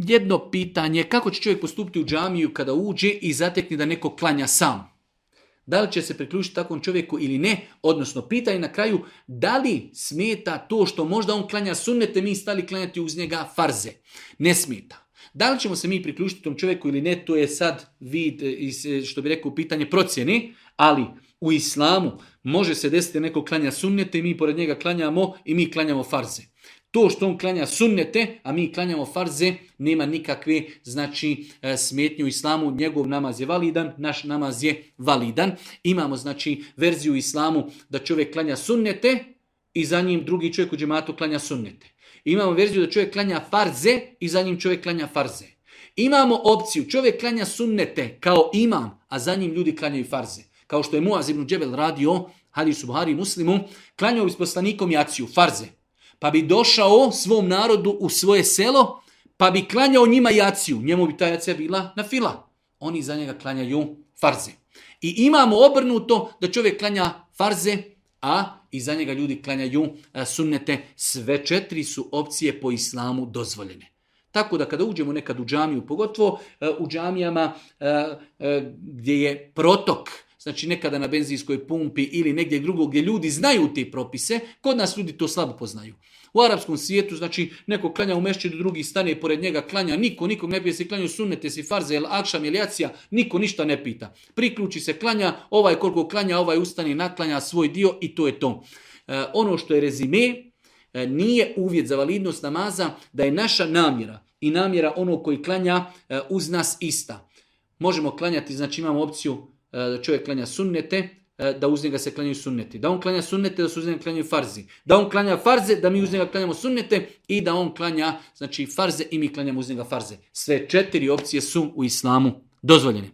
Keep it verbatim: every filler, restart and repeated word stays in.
jedno pitanje, kako će čovjek postupiti u džamiju kada uđe i zatekne da neko klanja sam? Da li će se priključiti takvom čovjeku ili ne? Odnosno, pitanje na kraju, da li smeta to što možda on klanja sunnete, mi stali klanjati uz njega farze? Ne smeta. Da li ćemo se mi priključiti tom čovjeku ili ne, to je sad vid, što bi rekao, pitanje procjene, ali u islamu može se desiti neko klanja sunnete i mi pored njega klanjamo i mi klanjamo farze. To što on klanja sunnete, a mi klanjamo farze, nema nikakve, znači, smetnje u islamu. Njegov namaz je validan, naš namaz je validan. Imamo, znači, verziju u islamu da čovjek klanja sunnete i za njim drugi čovjek u džematu klanja sunnete. Imamo verziju da čovjek klanja farze i za njim čovjek klanja farze. Imamo opciju, čovjek klanja sunnete kao imam, a za njim ljudi klanjaju farze. Kao što je Muaz ibn Džebel radio, hadis u Buhari i Muslimu, klanjao bi s poslanikom jaciju, farze. Pa bi došao svom narodu u svoje selo, pa bi klanjao njima jaciju. Njemu bi ta jacija bila na fila. Oni za njega klanjaju farze. I imamo obrnuto da čovjek klanja farze, a i za njega ljudi klanjaju sunnete. Sve četiri su opcije po islamu dozvoljene. Tako da kada uđemo nekad u džamiju, pogotovo u džamijama gdje je protok, znači nekada na benzinskoj pumpi ili negdje drugo gdje ljudi znaju te propise, kod nas ljudi to slabo poznaju. U arapskom svijetu, znači neko klanja u mešćidu, drugi stane pored njega, klanja, niko, nikog ne pita se klanju sunnete, si farze, el akšam, el jacija, niko ništa ne pita. Priključi se, klanja, ovaj koliko klanja, ovaj ustane, naklanja svoj dio i to je to. E, ono što je rezime, e, nije uvjet za validnost namaza da je naša namjera i namjera onog koji klanja e, uz nas ista. Možemo klanjati, znači imamo opciju da čovjek klanja sunnete, da uz njega se klanjaju sunneti. Da on klanja sunnete, da se uz njega klanjaju farzi. Da on klanja farze, da mi uz njega klanjamo sunnete i da on klanja, znači, farze i mi klanjamo uz njega farze. Sve četiri opcije su u islamu dozvoljene.